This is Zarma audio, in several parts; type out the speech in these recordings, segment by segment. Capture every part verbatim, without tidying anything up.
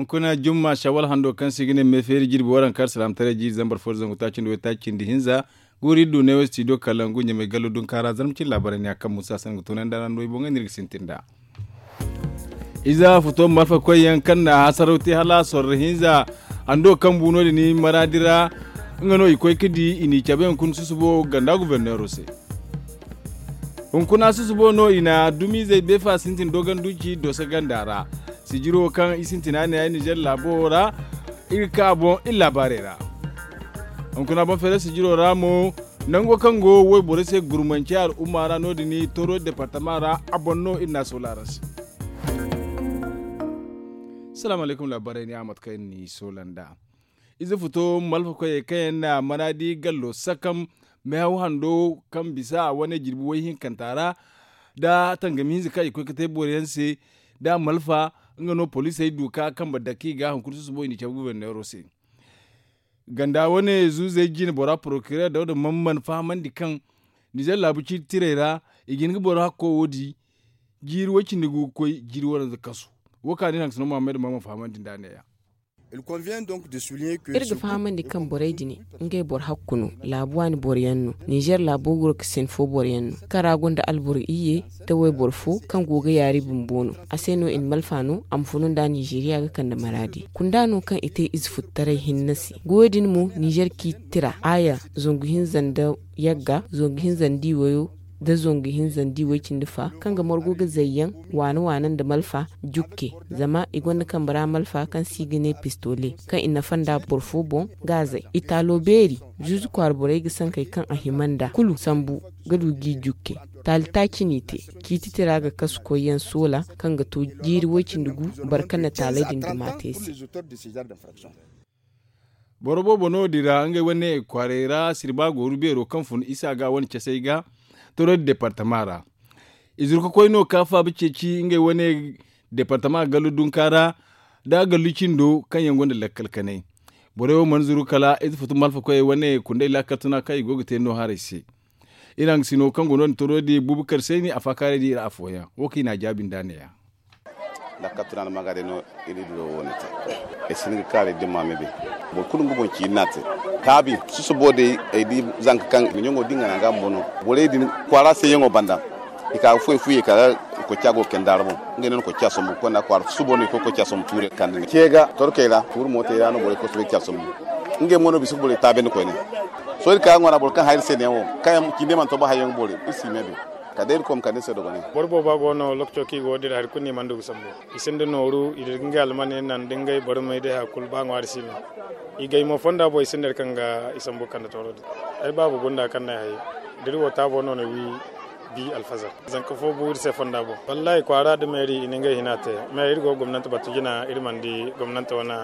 Kuna jumma shawal hando kaŋ se i ga ne me feeri jirbi waranka alsilaamataray jiiri zambar fo da zangu taaci nda way taaci nda hinza. Guuri du neewo studio kalangu ɲamay gallo dunkaara zarma cine laabaray ne a kaŋ musa sangu tunay nda ra no i boŋ ga no iri ga sintin nd'a. Ize futo malfa koy yaŋ kaŋ na hasaraw te hala sorro hinza hando kaŋ bu no- din maraadi ra. Nga no i koy ga di i n'i cabe hunkuna susubo ganda guberneero se. Hunkuna susubo no i na dumizey beefa sintin dogon duci doso ganda ra. Sijiro kaŋ i sintina ne ay nizer laabo ra. Iri ga ka boŋ iri laabaarey ra. Hunkuna boŋ feere sijiro ra mo nango kaŋ go wayborey se gurmance al'umma ra no- din toro departama ra. A boŋ no iri na a soola araŋ se. Salaamu alaykum laabaarey ne a mate kaŋ iri n'i soola nd'a. Ize futo malfa koyey kaŋ yaŋ na manaadi gallo sakam meehaw hando kaŋ bisa a wane jirbi way hinkanta ra. Da tangami hinza kaŋ i koy ga te boro yaŋ se da malfa nga no poliisey du ka kambe dake i ga hunkuna susubo i n'i cabe guberneero se. Ganda wane zuuzey jine bora porokireer dawda man mana fahamandi kaŋ nizer laabu ciiti tirey ra i ga hin ga boro hakko wo di. Jiiri way cindi gu ga koy jiiri waranza kasu. Wo kaŋ a ne iri hangasino muhammad man mana fahamandi nd'a ne- ya. Iri ga fahamandi kaŋ borey din ngey boro hakku no. Laabu waani boro yaŋ no. Nizer laabo goro ga sinfo boro yaŋ no kaŋ ra gonda alboro iyye da wayboro fo kaŋ go ga yaari bumbo no. A se no i na malfa no a ma funu nd'a nizeeriya ga kande maraadi kunda no kaŋ i te ize futtaray hinne se goyo din mo nizer ciiti tira aaya zangu hinza nda yagga zangu hinza nda i wayo da zangu hinza nda i way cindi fa kaŋ ga margu ga zayyaŋ waane waane nda malfa jukke. Zama i gonda kambe ra malfa kaŋ se i ga ne pistole kaŋ i nafa nda boro fo boŋ gaazey i taalo beeri zuuzu kwaara borey ga sankey kaŋ a hima nda kulu sambu ga du g'i jukke. Taali taaci n'i te ciiti tira ga kasu koyyaŋ soola kaŋ ga to jiiri way cindi gu barka na taaley din duma te se. Boro boobo no- din ra ngey wane kwaarey ra sirba gooru beero kaŋ fun isa ga wane casey ga toro departama ra. I zuru ga koy no ka faaba ceeci ngey wane departama gallu dunka ra da gallu cindo kaŋ yaŋ gonda lakkal kanay. Borey wo mana zuru kala ize futu malfa koyey wane kundey lakkal tuna kaŋ i go ga te no haray se. Iri hangasino kaŋ go no- din toro di bubakar sayni a faakaaray di iri afooyaŋ wo kaŋ i n'a jaabi nd'a ne- ya. Lakkal tuna nda maga day no iri duro wo- ne te. Ay si hin ga kaari dimma me bay. Boro kulu nga boŋ ciini no a te. Taabi susubo day ay di zanka kaŋ i na ɲaŋo di nga naŋ ga bumbo no. Borey din kwaara sayyaŋo banda i ka ga fuwey fuye ka ga kocca go ga kande a ra boŋ. Ngey no na kocca sombu konda kwaara susubo no i koy kocca sombu tuure ga kande nga ce ga torkey ra tuuri mootey ra no borey koy soobay ga ca sombu. Ngey mo no bisa ga borey taabendi koyne. Sohõ iri ka ga ŋwa ra boro kaŋ hayri se neewo kaŋ yaŋ cindey mana to ba hayyaŋ ga boori iri si me bay. Kala day iri koy ma kande ni se dogonay. Boro booba go no lokaco kaŋ i go ga dira hari kulu no i mana du ga sambu. I sinda nooru i dira ga ngey almaney naŋ da ngey barmay day hari kulu ba ŋwaari si no. I gay mo fonda boŋ i sinda hari kaŋ ga i sambu ga kande tooro din. Ay baaba gunda kaŋ no ay hayey da iri wo taabo no na wi. Bi alfazar zanka fo bu iri se fonda boŋ. Wallaahi kwaara da meeri i na ngey hina te. Me iri go ga gomnante batu jina iri mana di gomnante wane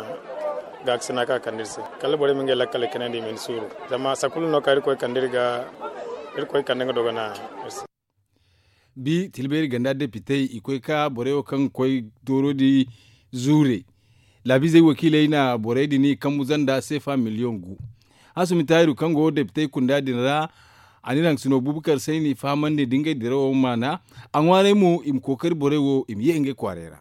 gaakasina kaŋ a kande iri se. Kala borey ma ngey lakkaley kanandi i ma hin suuru. Zama sakulu no kaŋ iri koy kande iri ga iri koy kande nga dogona. Bi tilbeeri ganda depitey i koy ka borey wo kaŋ ga koy dooro di zuure. Laabiizey wakiiley na borey din kambu zanda seefa miliyoŋ gu. Hasumi taahiru kaŋ go depitey kunda din ra. A na iri hangasino bubakar sayni fahamandi da ngey dirawo maana. A ŋwaaray mo i ma kookari borey wo i ma ye ngey kwaaray ra.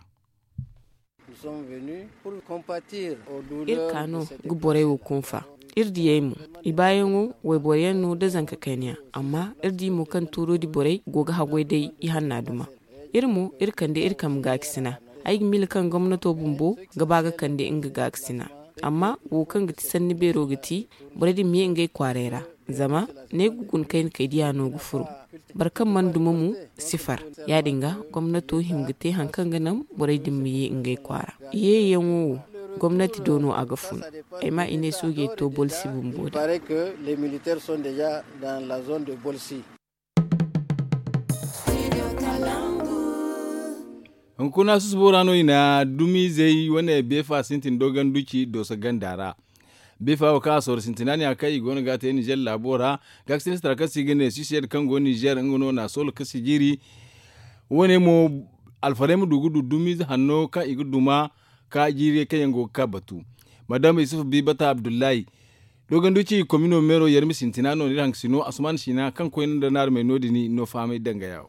Iri ka no ga borey wo kunfa. Iri diyey mo i baayaŋo wayboro yaŋ no nda zanka kayna yaŋ. Amma iri di mo kaŋ tuuro di borey go ga haggoy day ihanna duma. Iri mo iri kande iri kambe gaakasina. Ay ga miila kaŋ gomnato bumbo ga ba ga kande nga gaakasina. Amma wo kaŋ ga ti sanni beero ga ti borey din ma ye ngey kwaaray ra. Zama ne ga guna kayna kay diya no ga furo. Boro kaŋ mana duma mo si far. Ya- din ga gomnato hima ga te hari kaŋ ga naŋ borey din ma ye ngey kwaara. Yeeyaŋo wo gomnati do no a ga fun. Ay ma i ne soojey to bolsi bumbo day. Hunkuna susubo ra no i na dumizey wane beefa sintin dogon duci dooso ganda ra. Beefa wo kaŋ a sooro sintina ne a kaŋ i go no ga a te nizer laabo ra. Gaakasinistara kaŋ se i ga ne sisiyed kaŋ go nizer nga no na a soolo ka sijiri. Wane mo alfarey ma du ga du dumize hanno kaŋ i ga duma ka jiirey kaŋ yaŋ go ga ka batu. Madam isufu bibata abdullahi dogon duci komino meero yarmi sintina no nda iri hangasino asuman sina kaŋ koyne nda naarmey no- din no fahamay danga yawo.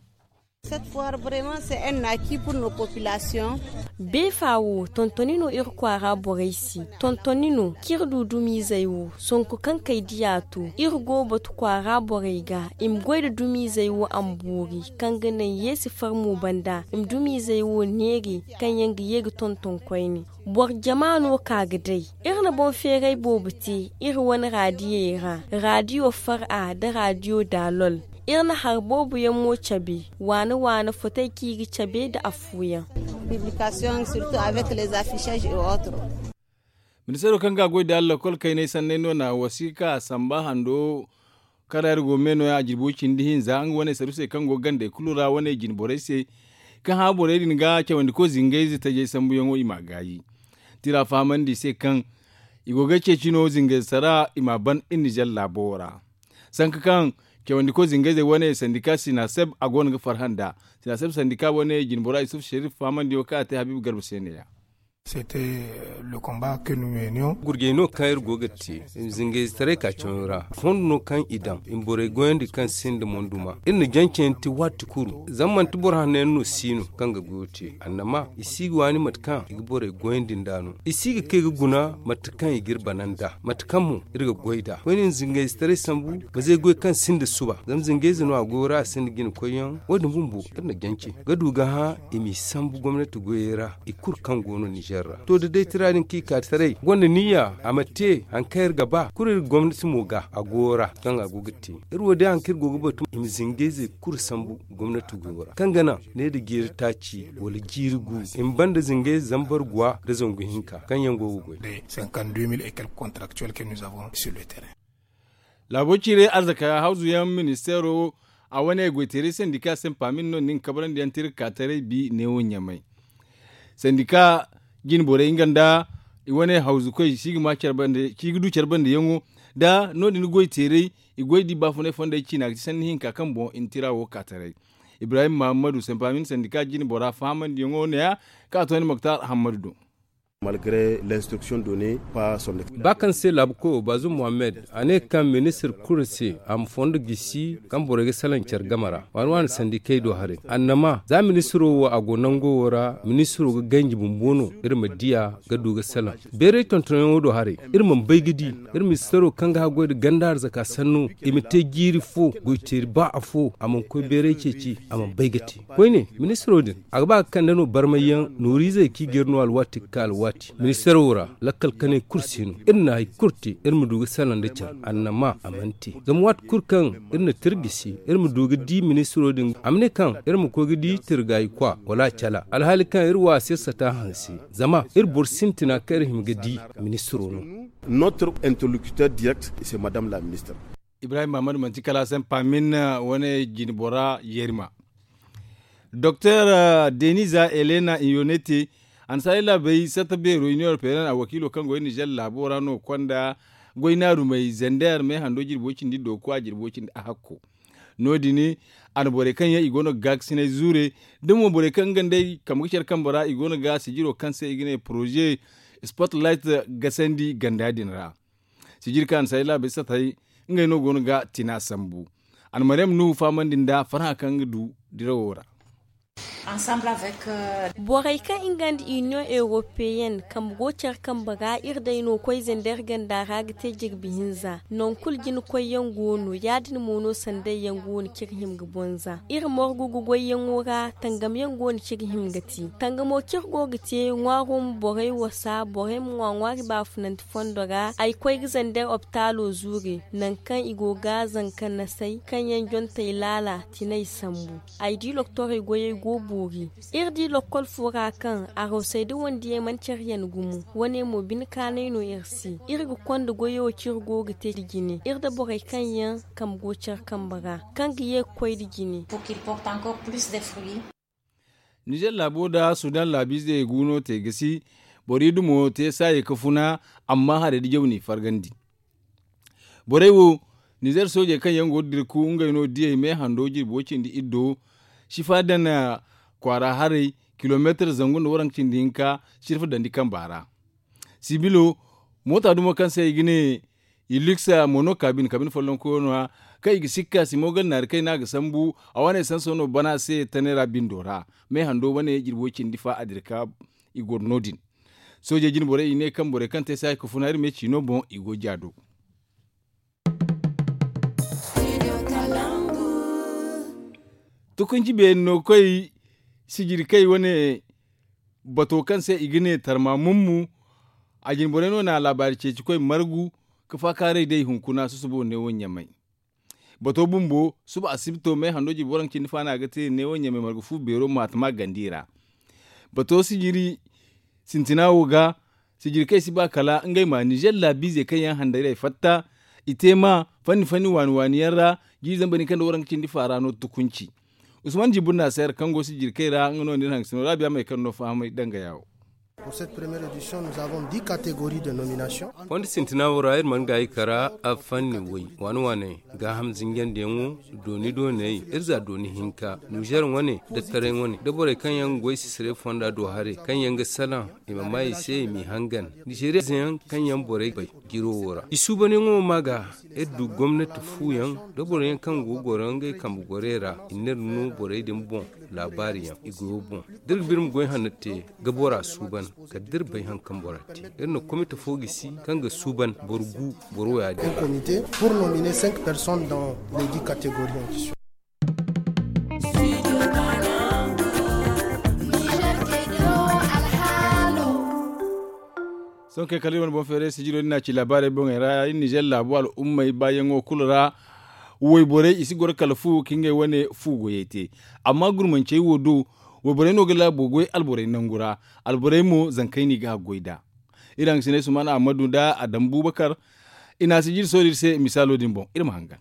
Beefa wo tontoni no iri kwaara borey se. Tontoni no kaŋ iri du dumiizey wo sonko kaŋ kay diya to, iri go batu kwaara borey ga i ma goy nda dumiizey wo a ma boori, kaŋ ga naŋ yeesi farmo banda i ma dumiizey wo neeri, kaŋ yaŋ ga ye ga tonton koyne. Boro jama no ka ga day. Iri na boŋ feeray boobo te iri wane raadiyey ra, raadiyo far'a nda raadiyo daalol. Iri na hari boobo yaŋ mo cabe, waana waana fotey kaŋ i ga cabe nda afooyaŋ. Ministeero kaŋ ga a goy nda lakkol kaynay sanney no na wasiika samba hando karaari go me no- ya a jirbi way cindi hinza nga wane saru se kaŋ go gandey kulu ra wane jine borey se, kaŋ hã borey din ga cawandiko zingayze tajey sambuyaŋo i m'a gaayi. Tira fahamandi i se kaŋ i go ga ceeci no zingayze tara i m'a ban iri nizer laabo ra. Sanka kaŋ cawandiko zingayzey wane sandika sinaseb a go no ga farhã nd'a. Sinaseb sandika wane jine bora isuf sherif fahamandiyo kaŋ a te habiibu garba se ne- ya. Gurjey no kaŋ iri go ga te zingayze taray ka cawo ra fondo no kaŋ i daŋ i ma borey goyandi kaŋ sinda monduma. Iri na jancey yaŋ te waati kulu zama manti boro hanno yaŋ no si no kaŋ ga goyo te annama i si ga waani mate kaŋ i ga borey goyandi nd'a no. I si ga kay ga guna mate kaŋ i ga iri bana nd'a mate kaŋ mo iri ga goy nd'a koyne zingayze taray sambu. Mazey goy kaŋ sinda suba zama zingayze no a goyo ra a sinda jina koyyaŋ wo- din bumbo iri na jance ga du ga hã i m'i sambu gomnati goyey ra. I kulu kaŋ go no nizer ra to da day tira din kaŋ i ka taray gonda niyya a ma te hari kaŋ iri ga ba kulu iri gomnati mo ga a goyo ra kaŋ a go ga te. Iri wo day hari kaŋ iri go ga batu i ma zingayzey kulu sambu gomnati goyo ra kaŋ ga naŋ ne nda jeeri taaci wala jiiri gu i ma banda zingayze zambar guwa nda zangu hinka kaŋ yaŋ go ga goy. Laabo ciiray arzaka hawzu yaŋ ministeero a wane goyteeray sandika se paamin no nin kabrandi yaŋ tira ka taray bi neewo ɲamay. Sandika jine borey nga nda i wane hawzukoy si ga ma care bande ci ga du care bande yaŋo da no- din goyteeray i goy di baafunay fondey ciina ga ti sanni hinka kaŋ boŋ i na tira wo ka taray. Ibrahim mahammadu se paamin sandika jine bora fahamandi yaŋo ne- ya kaŋ a to ni moktar hammadu do. Ba kaŋ se laabu koyo baazum muhammad a ne kaŋ ministir kulu se a ma fondo gisi kaŋ borey ga salaŋ care game ra waani waani sandikey do haray annama za ministiro wo a go nango wo ra ministiro ga ganji bumbo no iri ma diya ga du ga salaŋ beeray tontonyaŋo do haray. Iri mana bay ga di iri ministiro kaŋ ga haggoy nda ganda arzaka sanno i ma te jiiri fo goyteeri ba afo a mana koy beeray ceeci a mana bay ga te koyne ministiro din a ga ba ga kande no barmayyaŋ nooriizey kaŋ i ga iri no alwaati ga ka alwaati ministiro ra lakkal kanay kulu si no iri na hari kulu te iri ma du ga salaŋ nda care annama a mana te. Zama waati kulu kaŋ iri na tirgisi iri ma du ga di ministiro din a ma ne kaŋ iri ma koy ga di tirgayi kwa wala a cala alhaali kaŋ iri wa a se sata hanse zama iri boro sintina kaŋ iri hima ga di ministiro no. Notre interlocuteur direct c'est madame la ministre. Ibrahim mahammadu manti kala a se paamin wane jine bora yerima. Doktor deniza elena iyonete annasaari laabey satta beero iniyo europeyenne a wakiilo kaŋ go iri nizer laabo ra no konda goy naarumey zender me hando jirbo cindi dooko a jirbo cindi a hakko. No- din a na borey kaŋ yaŋ i go no ga gaakasinay zuure da mo borey kaŋ nga nd'ey kambe ga care kambe ra i go no ga sijiro kaŋ se i ga ne poroze spotlight gasandi ganda din ra. Sijiri kaŋ a na say laabey satay ngey no go no ga tina sambu. A na maryam nuhu fahamandi nda farhã kaŋ ga du dirawo ra. Borey kaŋ nga nda iniyoŋ europeyenne kambe go care kambe ra iri day no koyze nda iri ganda ra ga te jirbi hinza nangu kulu jina koyyaŋ go no ya- din mo no sanday yaŋ go no kaŋ iri hima ga bonza iri morgu ga goyyaŋo ra. Tangam yaŋ go no kaŋ iri hima ga te tangamo kaŋ iri go ga te ŋwaaro ma borey wasa borey ma ŋwa ŋwaari baafunanti fondo ra ay koy ga zandar opitaalo zuure nangu kaŋ i go ga zanka nasay kaŋ yaŋ jontey laala tinay sambu. Ay di loktorey goyey go boori. Iri di lokkol fo ra kaŋ arosey da wandiyey mana care yaŋ gumo wane mo bine kaanay no iri se iri ga konda goyo kaŋ iri go ga te nda jine iri nda borey kaŋ yaŋ kambe go care kambe ra kaŋ ga ye ga koy nda jine. Nizer laabo nda sudan laabiizey guuno te gasi boro idumo te saayey ga funa. Amma harey nda jaw n'i fargandi. Borey wo nizer soojey kaŋ yaŋ go ga dirku ngey no diyey me hando jirbi way cindi iddo sifa daŋ kwaara haray kilomeetar zangu nda waranka cindi hinka sirfa dandi kamba ra. Sibilo moota dumo kaŋ se i ga ne Iliksa mo no kaabin kaabin follonkoyo no- ya kaŋ i ga sikka simo galnaari kaŋ i ne a ga sambu. A wane sanso no bana se tanay ra bindo ra. Meehando wane jirbi way cindi fa a dira ka i goro no- din. Soojey jine borey i ne kaŋ borey kaŋ te se a ga funa iri me ciino boŋ i go jaado. Tukunci beeri no koy sijiri kay wane bato kaŋ se i ga ne tarma mummu. A jine borey no na laabaari ceeci koy margu ka faakaaray day hunkuna susubo neewo ɲamay. Bato bumbo suba asibto me hando jirbi waranka cindi faana ga te neewo ɲamay margu fu beero maatama gandi ra. Bato sijiri sintina wo ga sijiri kaŋ i si ba kala ngey ma nizer laabiize kaŋ yaŋ handaray fatta. I te ma fanni fanni waani waani yaŋ ra jiiri zambar din kaŋ nda waranka cindi faara no tukunci. Usman jibir na seera kaŋ go sijiri kay ra nga no nda iri haŋ sino raabiya may kaŋ no fahamay danga yaawo. Fondo sintina wo ra iri mana gaayi kara a fanni way waani waani gaaham zinjandiyaŋo dooni dooney iri za dooni hinka nizer wane da taray wane da borey kaŋ yaŋ ga goy sisire fonda do haray kaŋ yaŋ ga salaŋ i ma ma i se i m'i hangan nizeriya zeyaŋ kaŋ yaŋ borey bay jiro wo ra i suubanyaŋo ma ga iri du gomnati fuuyaŋ da boroyaŋ kaŋ go ga goro ngey kambe gorey ra i n'iri no borey din boŋ laabaari yaŋ i goyo boŋ da iri ga ba iri ma goy hanno te ga bora suuban kala da iri bay haŋ kaŋ bora te iri na komite fo gisi kaŋ ga suuban boro gu boro wo ya- din. Sohõ kay kala iri wane boŋ feeray sijiro din no a ci laabaarey boŋey ra iri nizer laabu al'ummey baayaŋo kulu ra. Wayborey i si goro kala fu ka ngey wane fu goyey te. Amma gurmancey wo do wayborey no ga laabo goy alborey nangu ra. Alborey mo zankey no i ga haggoy nd'a. Iri hangasiney suman ahmadu nda adam bubakar i na a sijiri sohõ iri se misaalo din boŋ iri ma hangan.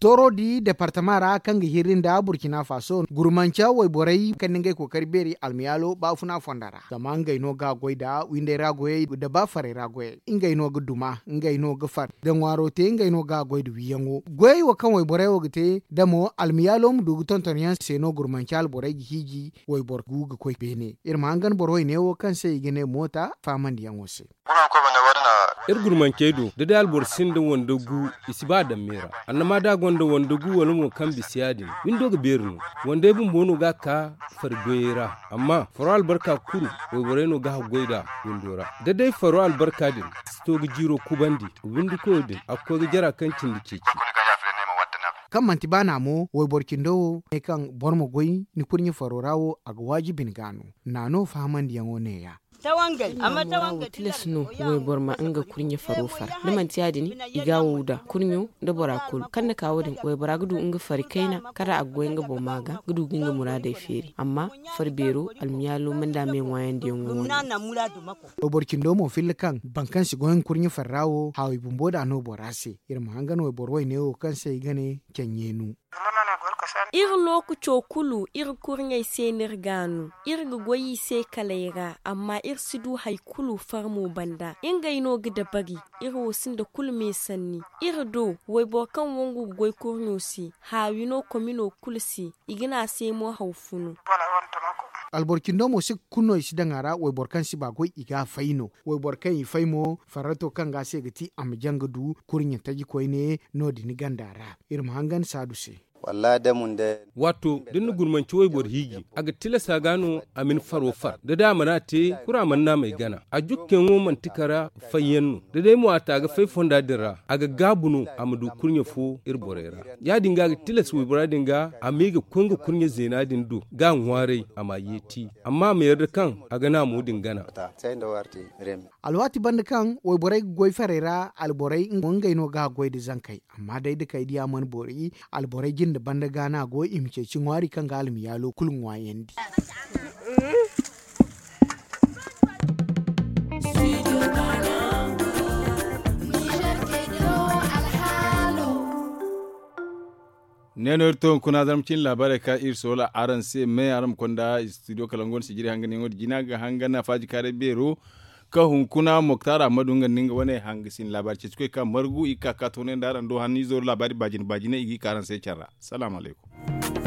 Tooro di departama ra kaŋ ga hirri nda burkina faso gurmanca wayborey kaŋ ni ngey kookari beeri almiyaalo baafuna fonda ra zama ngey no ga goy nda windey ra goyey nda baafarey ra goyey ngey no ga duma ngey no ga far da ŋwaaro te ngey no ga goy nda wiiyaŋo goyey wo kaŋ wayborey wo ga te da mo almiyaalo ma du ga tonton yaŋ se no gurmanca alborey ga hiiji wayboro gu ga koy beene iri ma hangan boro wayne wo kaŋ se i ga ne moota faamandiyaŋo se. Iri gurmancey do da day alboro sinda wande gu i si ba a daŋ me ra annama da a gonda wande gu wala mo kaŋ bisa ya- din windo ga beeri no wandey bumbo no ga a ka fari goyey ra amma faro albarka kulu wayborey no ga haggoy nd'a windo ra da day faro albarka din si to ga jiiro kubandi windi koyo din a ga koy ga jara kaŋ cindi ceeci. Kaŋ manti ba naamo wayboro cindo wo ne kaŋ boro ma goy ni kurɲe faro ra wo a ga waajibi ni ga no naano fahamandiyaŋo ne- ya. Tilas no wayboro ma nga kurɲe faro far da manti ya- din i ga a wow da kurɲo nda bora kulu kaŋ na ka wo- din waybora ga du nga fari kayna kala a ga goy nga boŋ ma ga ga du ga nga muraadey feeri amma fari beero almiyaalo manda me ŋwaayandiyaŋo wo- din. Wayboro cindo mo filla kaŋ boro kaŋ si goy nga kurɲe fari ra wo haaway bumbo nd'a no bora se iri ma hangan wayboro wayne wo kaŋ se i ga ne canɲeenu. Iri lookaco kulu iri kurɲey se no iri ga a no iri ga goy i se kaley ra amma iri si du hari kulu farmo banda ngey no ga dabari iri wo sinda kulu me sanni iri do wayboro kaŋ wangu ga goy kurɲo se haawi no komino kulu se i ga ne a se mo haw funu. Alboro cindo mo si ga kulu no i si daŋ a ra wayboro kaŋ si ba goy i ga a fay no wayboro kaŋ i fay mo farrato kaŋ ga a se ga ti a ma jaŋ ga du kurɲe taji koyne no- din ganda ra iri ma hangan saadu se. Waato da ni na gurmanci wayboro hiiji a ga tilasa ga no a ma ni faro far da day a mana te kura mana naamey gana a jukkeyaŋo manti kara fayyaŋ no da day mo a ta ga fay fonda din ra a ga gaabu no a ma du kurɲe fo iri borey ra ya- din ga a ga tilas waybora din ga a ma i ga koy nga kurɲe zeena din do ga a ŋwaaray a ma a yeeti amma a ma yarda kaŋ a ga naamo din gana. Alwaati banda kaŋ wayborey ga goy farey ra alborey ngey no ga a goy nda zankey amma day da kay diya mana boori alborey jinde banda ga no a go i ma ceeci ŋwaari kaŋ ga almiyaalo kulu ŋwaayandi. Ne no iri to hunkuna zarma cine laabaarey ka iri soola araŋ se me araŋ ma konda studio kala nga wane sijiri hanganyaŋo din jina ga hangan afaaji kaaray beero. Ka hunkuna moktar ahmadu nga nda nga wane hangasin laabaari ceeci koy ka margu i ga ka ka toonay nda araŋ do hanno izo laabaari baajine baajine i ga i ka araŋ se care ra. Salaamu alaykum.